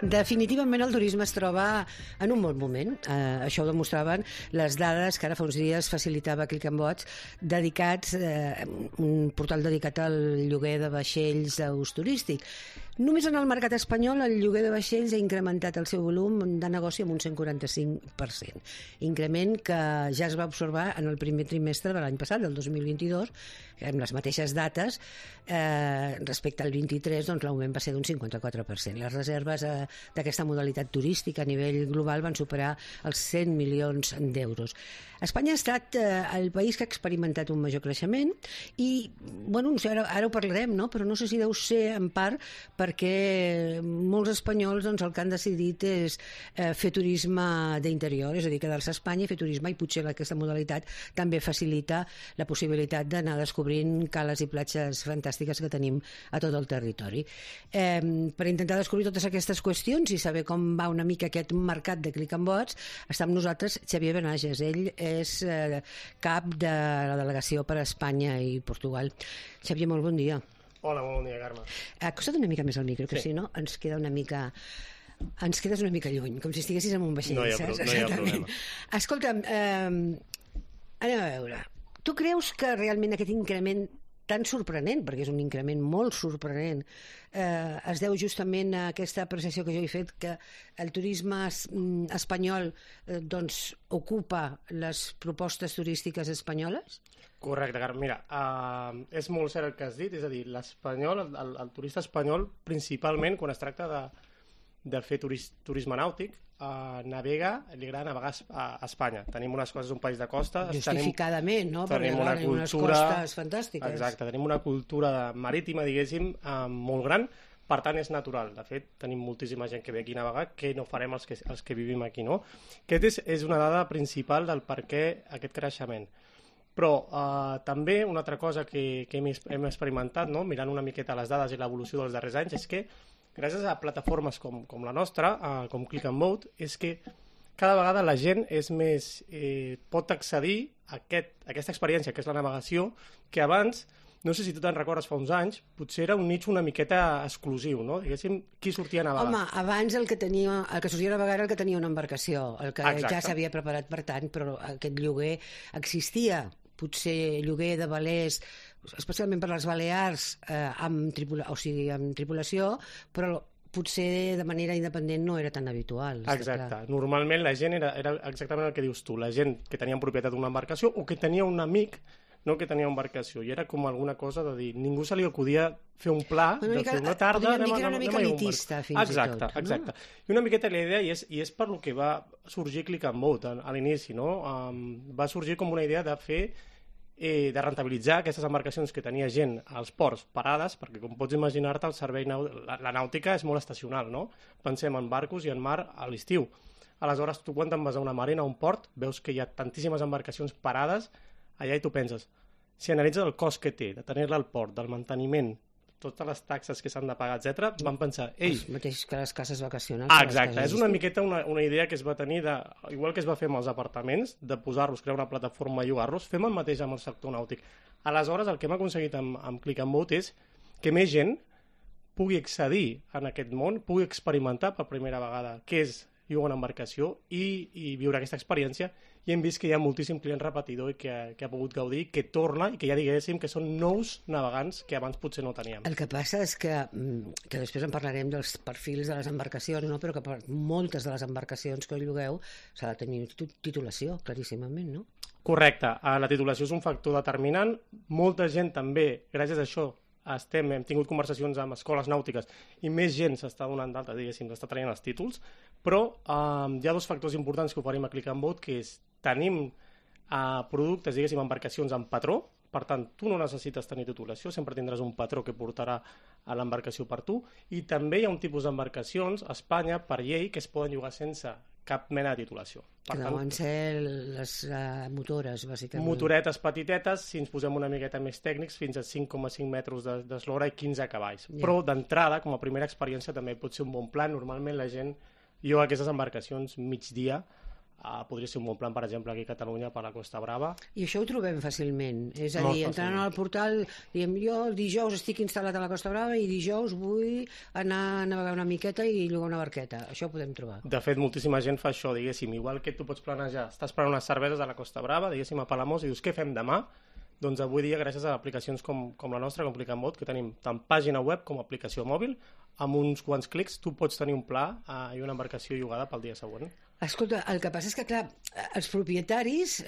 Definitivament el turisme es troba en un bon moment. Això ho demostraven les dades que ara fa uns dies facilitava Click and Boats, dedicats, un portal dedicat al lloguer de vaixells d'ús turístic. Només en el mercat espanyol el lloguer de vaixells ha incrementat el seu volum de negoci amb un 145%. Increment que ja es va observar en el primer trimestre de l'any passat, del 2022, amb les mateixes dates, respecte al 23, doncs l'augment va ser d'un 54%. Les reserves d'aquesta modalitat turística a nivell global van superar els 100 milions d'euros. Espanya ha estat el país que ha experimentat un major creixement i, bueno, ara ho parlarem, no? Però no sé si deu ser en part perquè molts espanyols doncs, el que han decidit és fer turisme d'interior, és a dir, quedar-se a Espanya i fer turisme, i potser aquesta modalitat també facilita la possibilitat d'anar descobrint cales i platges fantàstiques que tenim a tot el territori. Per intentar descobrir totes aquestes qüestions i saber com va una mica aquest mercat de Click and Boats, està amb nosaltres Xavier Benages. Ell és cap de la delegació per a Espanya i Portugal. Xavier, molt bon dia. Hola, molt bon dia, Carme. Acosta't una mica més al micro, que sí. Si no ens queda una mica... Ens quedes una mica lluny, com si estiguessis en un vaixell. No hi ha problema. Escolta'm, anem a veure. Tu creus que realment aquest increment tan sorprenent, perquè és un increment molt sorprenent, es deu justament a aquesta apreciació que jo he fet, que el turisme espanyol doncs, ocupa les propostes turístiques espanyoles? Correcte, Carme. Mira, és molt cert el que has dit, és a dir, l'espanyol, el turista espanyol, principalment quan es tracta de fer turisme nàutic, navega, li agrada navegar a Espanya. Tenim unes coses, un país de costa... Justificadament, no? Tenim una cultura... unes costes fantàstiques. Exacte, tenim una cultura marítima, diguéssim, molt gran, per tant és natural. De fet, tenim moltíssima gent que ve aquí a navegar, que no farem els que vivim aquí, no? Aquest és una dada principal del per què aquest creixement. Però també una altra cosa que hem experimentat, no? Mirant una miqueta les dades i l'evolució dels darrers anys, és que gràcies a plataformes com la nostra, com Click and Boat, és que cada vegada la gent pot accedir a aquesta experiència, que és la navegació, que abans, no sé si tu te'n recordes fa uns anys, potser era un nicho una miqueta exclusiu, no? Diguéssim, qui sortia a navegar? Home, abans el que sortia a navegar era el que tenia una embarcació, el que Exacte. Ja s'havia preparat per tant, però aquest lloguer existia. Potser lloguer de velers, especialment per les Balears, amb tripulació, però potser de manera independent no era tan habitual. Exacte. Normalment la gent era exactament el que dius tu, la gent que tenia en propietat una embarcació o que tenia un amic que tenia embarcació, i era com alguna cosa de dir, ningú se li acudia fer un pla de fer una tarda... Podríem dir que era una mica elitista, fins i tot. Exacte. I una miqueta la idea, i és per lo que va sorgir Click and Boat a l'inici, no? Va sorgir com una idea de fer de rentabilitzar aquestes embarcacions que tenia gent als ports parades, perquè com pots imaginar-te el servei la nàutica és molt estacional, no? Pensem en barcos i en mar a l'estiu. Aleshores, tu quan te'n vas a una marina, a un port, veus que hi ha tantíssimes embarcacions parades allà i tu penses, si analitzes el cost que té de tenir-la al port, del manteniment, totes les taxes que s'han de pagar, etc., van pensar... El mateix que les cases vacacionals. Exacte, és una miqueta una idea que es va tenir, igual que es va fer amb els apartaments, de posar-los, crear una plataforma i llogar-los, fem el mateix amb el sector nàutic. Aleshores, el que hem aconseguit amb Click and Boat és que més gent pugui accedir en aquest món, pugui experimentar per primera vegada què és llogar una embarcació i viure aquesta experiència, i hem vist que hi ha moltíssim client repetidor i que ha pogut gaudir, que torna i que ja diguéssim que són nous navegants que abans potser no teníem. El que passa és que després en parlarem dels perfils de les embarcacions, no? Però que per moltes de les embarcacions que llogueu s'ha de tenir titulació, claríssimament, no? Correcte, la titulació és un factor determinant. Molta gent també, gràcies a això, hem tingut conversacions amb escoles nàutiques i més gent s'està donant d'alta, diguéssim, s'està traient els títols, però hi ha dos factors importants que oferim a Click and Boat, que és tenim productes, diguéssim, embarcacions amb patró, per tant, tu no necessites tenir titulació, sempre tindràs un patró que portarà a l'embarcació per tu, i també hi ha un tipus d'embarcacions a Espanya, per llei, que es poden llogar sense cap mena de titulació. Que deuen ser les motores, bàsicament. Motoretes petitetes, si ens posem una miqueta més tècnics, fins a 5,5 metres d'eslora i 15 cavalls. Yeah. Però d'entrada, com a primera experiència, també pot ser un bon plan. Normalment la gent lloga aquestes embarcacions migdia podria ser un bon plan, per exemple, aquí a Catalunya per la Costa Brava. I això ho trobem fàcilment. És a dir, entrant al portal, diem, jo dijous estic instal·lat a la Costa Brava i dijous vull anar a navegar una miqueta i llogar una barqueta. Això ho podem trobar. De fet, moltíssima gent fa això, diguéssim. Igual que tu pots planejar, estàs prenent unes cerveses a la Costa Brava, diguéssim, a Palamós, i dius, què fem demà? Doncs avui dia, gràcies a aplicacions com la nostra, com Clickanbot, que tenim tant pàgina web com aplicació mòbil, amb uns quants clics tu pots tenir un pla i una embarcació llogada pel dia següent. Escolta, el que passa és que, clar, els propietaris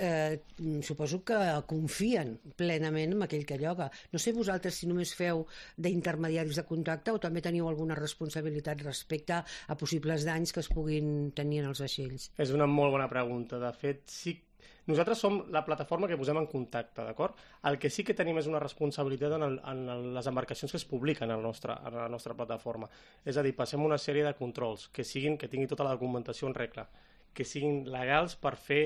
suposo que confien plenament en aquell que lloga. No sé vosaltres si només feu d'intermediaris de contacte o també teniu alguna responsabilitat respecte a possibles danys que es puguin tenir en els vaixells. És una molt bona pregunta. De fet, sí. Nosaltres som la plataforma que posem en contacte, d'acord? El que sí que tenim és una responsabilitat en les embarcacions que es publiquen a la nostra plataforma. És a dir, passem una sèrie de controls que tinguin tota la documentació en regla, que siguin legals per fer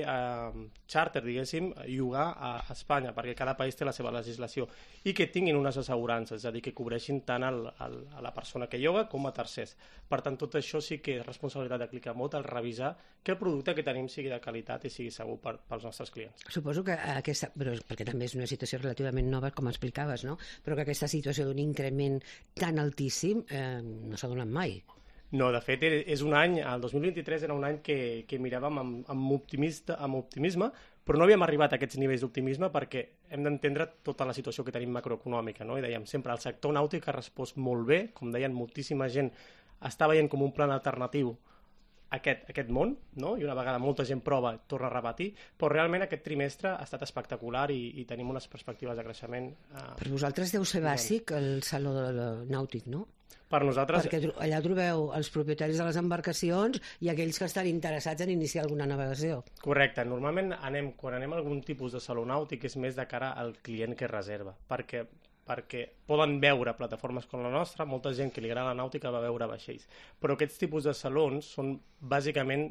charter, diguéssim, llogar a Espanya, perquè cada país té la seva legislació, i que tinguin unes assegurances, és a dir, que cobreixin tant a la persona que lloga com a tercers. Per tant, tot això sí que és responsabilitat de Clickanbot, el revisar que el producte que tenim sigui de qualitat i sigui segur pels nostres clients. Suposo que aquesta, però perquè també és una situació relativament nova, com explicaves, no? Però que aquesta situació d'un increment tan altíssim no s'ha donat mai. No, de fet, és un any, el 2023 era un any que miràvem amb optimisme, però no havíem arribat a aquests nivells d'optimisme perquè hem d'entendre tota la situació que tenim macroeconòmica, no? I dèiem sempre, el sector nàutic ha respost molt bé, com deien, moltíssima gent està veient com un plan alternatiu aquest món, no? I una vegada molta gent prova, torna a repetir, però realment aquest trimestre ha estat espectacular i tenim unes perspectives de creixement. Per vosaltres deu ser bàsic el saló nàutic, no? Per nosaltres... Perquè allà trobeu els propietaris de les embarcacions i aquells que estan interessats en iniciar alguna navegació. Correcte. Normalment quan anem a algun tipus de saló nàutic és més de cara al client que reserva, perquè poden veure plataformes com la nostra, molta gent que li agrada la nàutica va veure vaixells. Però aquests tipus de salons són bàsicament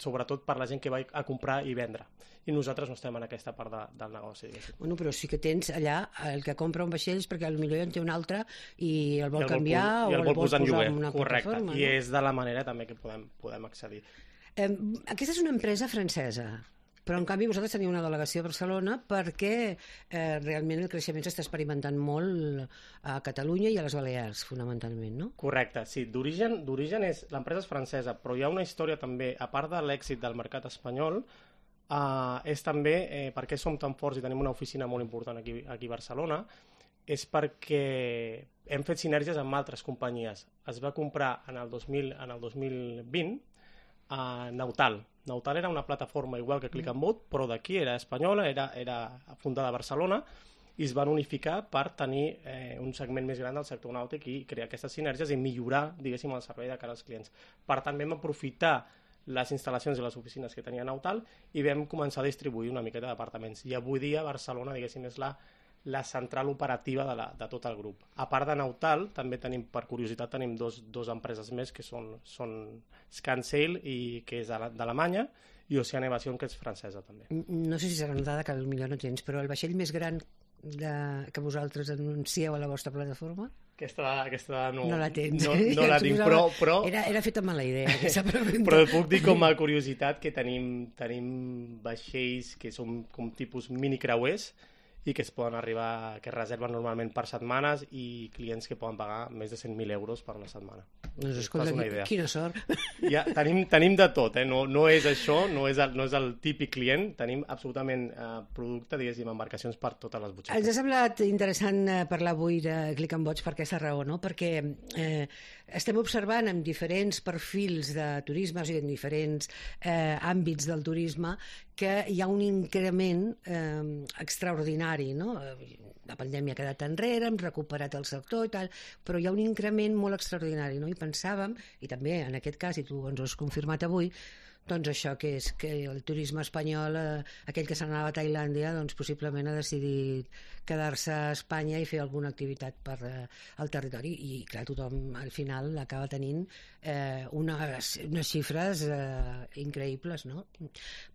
sobretot per la gent que va a comprar i vendre. I nosaltres no estem en aquesta part del negoci. Bueno, però sí que tens allà el que compra un vaixell perquè potser ja en té un altre i el vol canviar o el vol posar en una plataforma. Correcte, i és de la manera també que podem accedir. Aquesta és una empresa francesa, però en canvi vosaltres teniu una delegació a Barcelona perquè realment el creixement s'està experimentant molt a Catalunya i a les Balears, fonamentalment, no? Correcte, sí. D'origen l'empresa és francesa, però hi ha una història també, a part de l'èxit del mercat espanyol, és també perquè som tan forts i tenim una oficina molt important aquí a Barcelona, és perquè hem fet sinergies amb altres companyies. Es va comprar en el 2020 Nautal. Nautal era una plataforma igual que Clickanbot, però d'aquí era espanyola, era fundada a Barcelona, i es van unificar per tenir un segment més gran del sector nàutic i crear aquestes sinergies i millorar, diguéssim, el servei de cara als clients. Per tant, vam aprofitar les instal·lacions i les oficines que tenia Nautal i vam començar a distribuir una miqueta d'apartaments. I avui dia Barcelona, diguéssim, és la central operativa de tot el grup. A part de Nautal, també tenim, per curiositat, tenim dos empreses més que són Scansail, que és d'Alemanya, i Ocean Evasion, que és francesa també. No sé si serà una dada que potser no tens, però el vaixell més gran que vosaltres anuncieu a la vostra plataforma? Aquesta no la tens. No la tinc, però... Era feta mala idea, aquesta pregunta. Però puc dir com a curiositat que tenim vaixells que són com tipus mini-creuers i que es poden arribar, que es reserven normalment per setmanes i clients que poden pagar més de 100.000 euros per una setmana. Doncs escolta, quina sort. Ja, tenim de tot, no és això, no és el típic client, tenim absolutament producte, diguéssim, embarcacions per totes les butxaques. Ens ha semblat interessant parlar avui de Clickanbot per aquesta raó, no? Perquè estem observant en diferents perfils de turisme, o sigui, en diferents àmbits del turisme, que hi ha un increment extraordinari, no? La pandèmia ha quedat enrere, hem recuperat el sector i tal, però hi ha un increment molt extraordinari, no? I pensàvem, i també en aquest cas, i tu ens ho has confirmat avui, doncs això que és que el turisme espanyol, aquell que se n'anava a Tailàndia, doncs possiblement ha decidit quedar-se a Espanya i fer alguna activitat per al territori i clar, tothom al final acaba tenint unes xifres increïbles, no?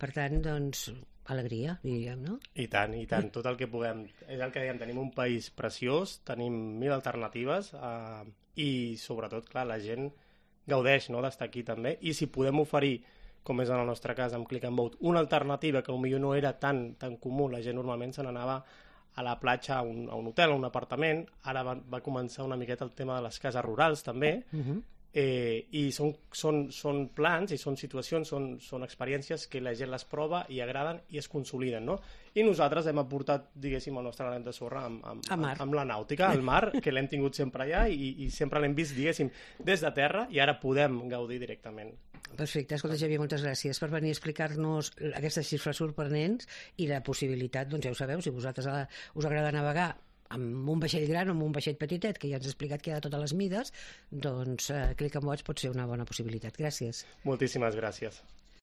Per tant, doncs alegria, diríem, no? I tant, tot el que puguem. És el que dèiem, tenim un país preciós, tenim 1.000 alternatives i sobretot, clar, la gent gaudeix, no?, d'estar aquí també, i si podem oferir com és en el nostre cas amb Click and Boat, una alternativa que potser no era tan comú, la gent normalment se n'anava a la platja, a un hotel, a un apartament, ara va començar una miqueta el tema de les cases rurals també, i són plans i són situacions, són experiències que la gent les prova i agraden i es consoliden, no? I nosaltres hem aportat, diguéssim, el nostre granet de sorra amb la nàutica, al mar, que l'hem tingut sempre allà i sempre l'hem vist, diguéssim, des de terra, i ara podem gaudir directament. Perfecte. Escolta, Xavier, moltes gràcies per venir a explicar-nos aquestes xifres sorprenents i la possibilitat, doncs ja ho sabeu, si vosaltres us agrada navegar amb un vaixell gran o amb un vaixell petitet, que ja ens ha explicat que hi ha de totes les mides, doncs Click and Boats pot ser una bona possibilitat. Gràcies. Moltíssimes gràcies.